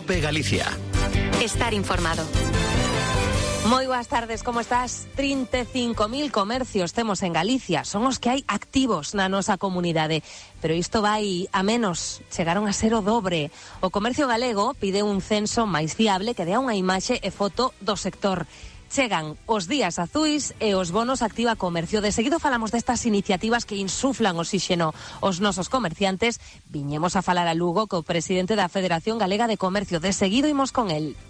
COPE Galicia. Estar informado. Moi boas tardes, como estás? 35.000 comercios temos en Galicia, son os que hai activos na nosa comunidade, pero isto vai a menos, chegaron a ser o dobre. O comercio galego pide un censo máis fiable que dea unha imaxe e foto do sector. Chegan os días azuis e os bonos Activa Comercio. De seguido falamos destas iniciativas que insuflan oxíxeno os nosos comerciantes. Viñemos a falar a Lugo co presidente da Federación Galega de Comercio. De seguido imos con el.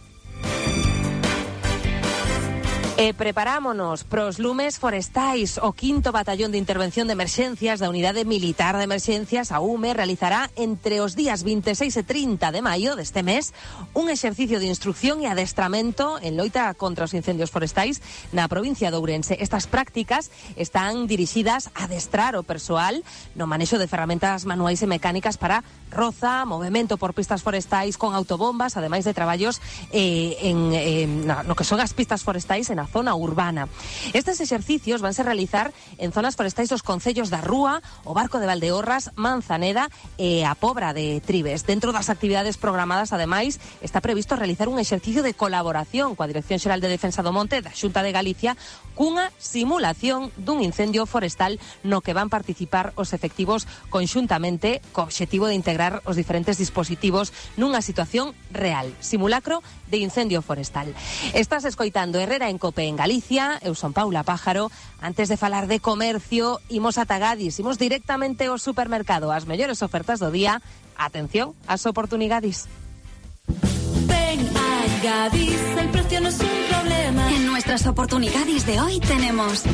E preparámonos pros lumes forestais. O 5º Batallón de Intervención de Emerxencias da Unidade Militar de Emerxencias, a UME, realizará entre os días 26 e 30 de maio deste mes un exercicio de instrucción e adestramento en loita contra os incendios forestais na provincia de Ourense. Estas prácticas están dirixidas a adestrar o persoal no manexo de ferramentas manuais e mecánicas para roza, movemento por pistas forestais con autobombas, ademais de traballos no que son as pistas forestais en a zona urbana. Estes exercicios vanse realizar en zonas forestais dos concellos da Rúa, o Barco de Valdeorras, Manzaneda e a Pobra de Tribes. Dentro das actividades programadas, ademais, está previsto realizar un exercicio de colaboración coa Dirección Xeral de Defensa do Monte da Xunta de Galicia cunha simulación dun incendio forestal no que van participar os efectivos conxuntamente co obxectivo de integrar os diferentes dispositivos nunha situación real. Simulacro de incendio forestal. Estás escoitando Herrera en COPE en Galicia, eu son Paula Pájaro. Antes de falar de comercio, imos ata Gadis, imos directamente ao supermercado, as mellores ofertas do día. Atención ás oportunidades. Ven a Gadis, el precio no es un problema. En nuestras oportunidades de hoy tenemos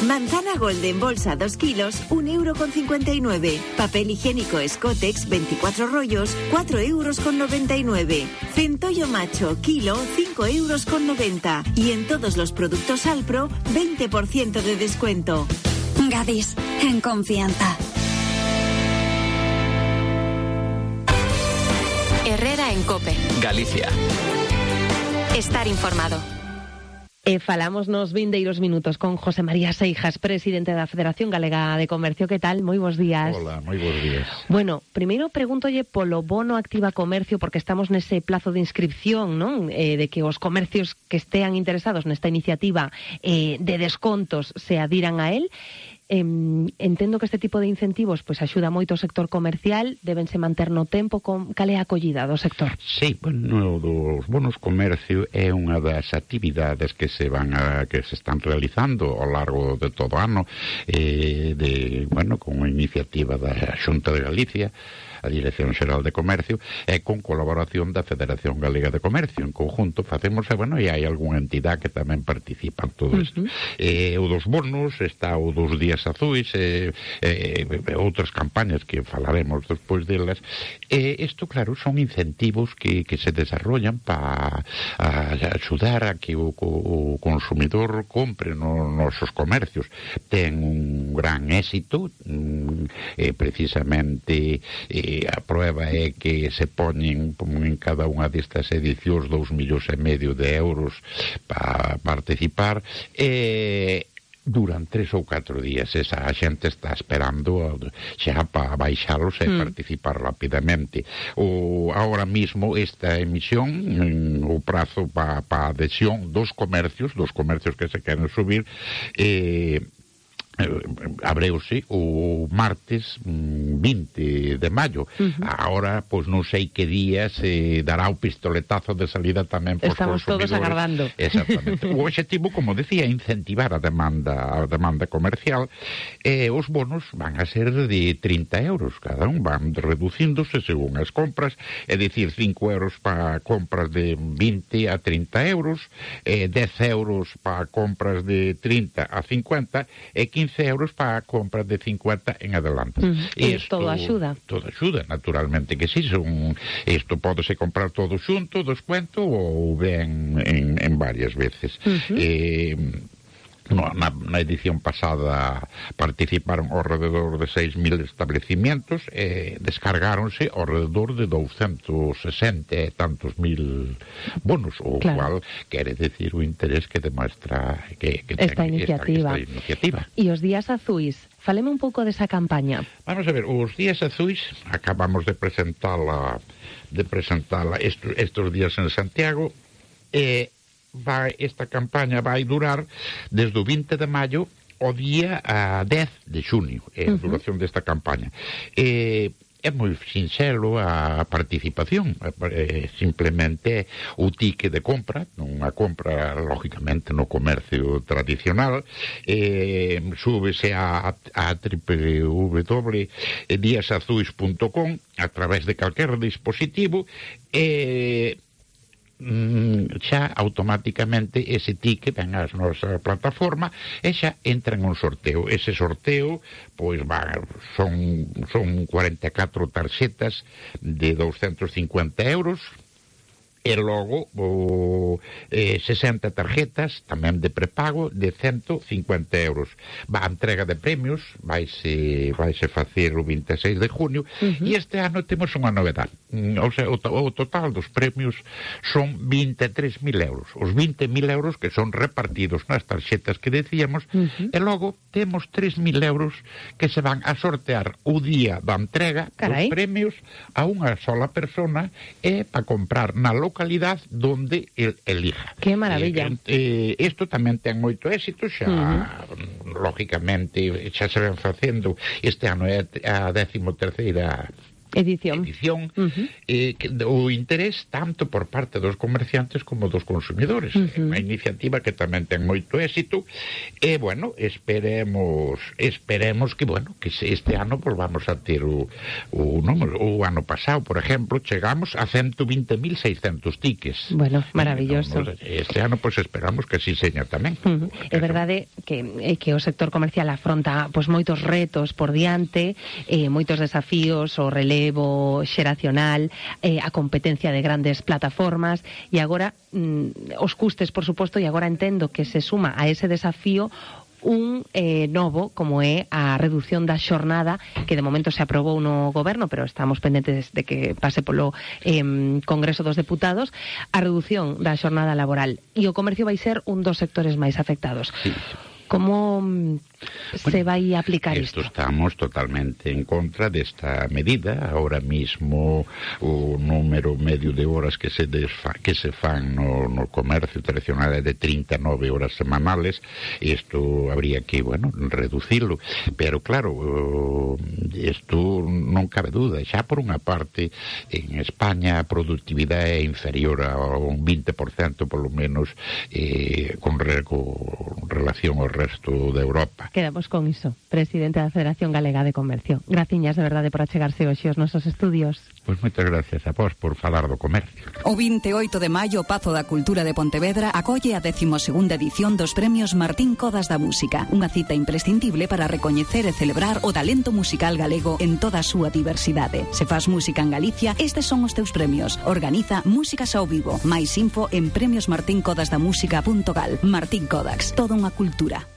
manzana golden bolsa 2 kilos, 1,59 €. Papel higiénico Scotex 24 rollos, 4,99 €. Centollo macho kilo, 5,90 €. Y en todos los productos Alpro, 20% de descuento. Gadis, en confianza. Herrera en COPE Galicia. Estar informado. Falamos nos vindeiros minutos con José María Seijas, presidente da Federación Galega de Comercio. Que tal? Moi bons días. Hola, moi bons días. Bueno, primeiro pregúntolle polo bono Activa Comercio, porque estamos nese plazo de inscripción, non? De que os comercios que estean interesados nesta iniciativa de descontos se adiran a él. Entendo que este tipo de incentivos pois axuda moito o sector comercial, debense manter no tempo. Cal é a acollida do sector? Sí, bueno, dos bonos comercio é unha das actividades que se están realizando ao largo de todo o ano, con a iniciativa da Xunta de Galicia, a Dirección Xeral de Comercio, e con colaboración da Federación Galega de Comercio. En conjunto facemos, e hai algunha entidade que tamén participa en todo isto. O dos bonos, está o dos días azuis, outras campañas que falaremos despois delas. Isto, claro, son incentivos que se desarrollan para axudar a que o consumidor compre nos nosos comercios. Ten un gran éxito, precisamente a prueba é que se poñen en cada unha destas edicións 2,5 millóns de euros para participar, duran 3 ou 4 días. Esa xente está esperando xa para baixalos e participar rapidamente. Ahora mismo esta emisión, o prazo para adhesión dos comercios que se queren subir, abreuse o martes 20 de maio. Agora, pois non sei que día se dará o pistoletazo de salida tamén pos Estamos consumidores. todos agardando. Exactamente. O objetivo, como decía, é incentivar a demanda comercial. Os bonos van a ser de 30 euros cada un, van reducíndose según as compras, é dicir, 5 euros para compras de 20 a 30 euros, 10 euros para compras de 30 a 50 e 15 euros para compras de 50 en adelante. Todo axuda. Todo axuda, naturalmente que sí. Isto pódese comprar todo xunto, descuento, ou ben en varias veces. Na edición pasada participaron ao rededor de 6.000 establecimientos e descargáronse ao rededor de 260 e tantos mil bonos, o cual quere decir o interés que demuestra que esta iniciativa. E os días azuis, faleme un pouco desa campaña. Vamos a ver, os días azuis acabamos de presentala estos días en Santiago, e esta campaña vai durar desde o 20 de maio ao día 10 de xunio, a duración desta campaña. É moi sinxelo a participación, simplemente o ticket de compra, unha compra lógicamente no comercio tradicional, súbese a www.diasazuis.com a través de calquer dispositivo e xa automáticamente ese ticket ven ás nosa plataforma e xa entra en un sorteo. Ese sorteo pois son 44 tarxetas de 250 euros e logo 60 tarjetas tamén de prepago de 150 euros. A entrega de premios vaise facer o 26 de junio e este ano temos unha novedade. O sea, o total dos premios son 23.000 euros. Os 20.000 euros que son repartidos nas tarxetas que decíamos e logo temos 3.000 euros que se van a sortear o día da entrega dos premios a unha sola persona e para comprar na localidade donde el elija. Que maravilla. Isto tamén ten moito éxito, xa lógicamente xa se ven facendo. Este ano é a 13ª edición o interés tanto por parte dos comerciantes como dos consumidores. Unha iniciativa que tamén ten moito éxito e, bueno, esperemos que, bueno, que este ano volvamos a ter o número. O ano pasado, por exemplo, chegamos a 120.600 tickets. Bueno, maravilloso. Este ano, pois, esperamos que así seña tamén. É verdade que o sector comercial afronta pois moitos retos por diante, moitos desafíos, o relevo xeracional, a competencia de grandes plataformas e agora os custes, por suposto, e agora entendo que se suma a ese desafío un novo, como é a reducción da xornada, que de momento se aprobou no goberno, pero estamos pendentes de que pase polo Congreso dos Deputados, a reducción da xornada laboral, e o comercio vai ser un dos sectores máis afectados. Sí. Como se vai a aplicar isto? Estamos totalmente en contra desta medida. Ahora mismo o número medio de horas que se fan no comercio tradicional é de 39 horas semanales. Isto habría que, bueno, reducilo, pero claro, isto non cabe duda. Xa por unha parte en España a productividade é inferior a un 20% polo menos con relación ao resto de Europa. Quedamos con iso, presidente da Federación Galega de Comercio. Graciñas de verdade por achegarse hoxe aos nosos estudios. Pois moitas gracias a vos por falar do comercio. O 28 de maio, o Pazo da Cultura de Pontevedra acolle a 12ª edición dos Premios Martín Codas da Música, unha cita imprescindible para recoñecer e celebrar o talento musical galego en toda a súa diversidade. Se fas música en Galicia, estes son os teus premios. Organiza Músicas ao Vivo. Mais info en premiosmartincodasdamusica.gal. Martín Codax, toda unha cultura.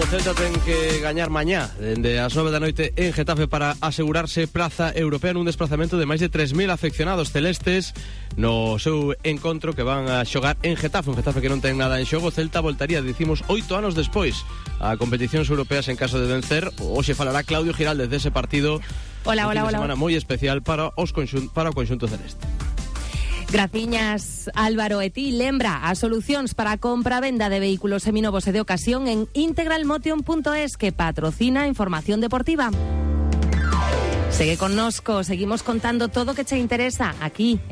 Celta ten que gañar mañá dende as 9 da noite en Getafe para asegurarse praza europea nun desplazamento de máis de 3.000 afeccionados celestes no seu encontro que van a xogar en Getafe, un Getafe que non ten nada en xogo. Celta voltaría, dicimos, 8 anos despois a competicións europeas en caso de vencer. Hoxe falará Claudio Giraldez dese partido. Hola. Semana moi especial para o conxunto celeste. Graciñas, Álvaro, e ti lembra as solucións para a compra e venda de vehículos seminovos e de ocasión en integralmotion.es, que patrocina a información deportiva. Segue connosco, seguimos contando todo o que che interesa aquí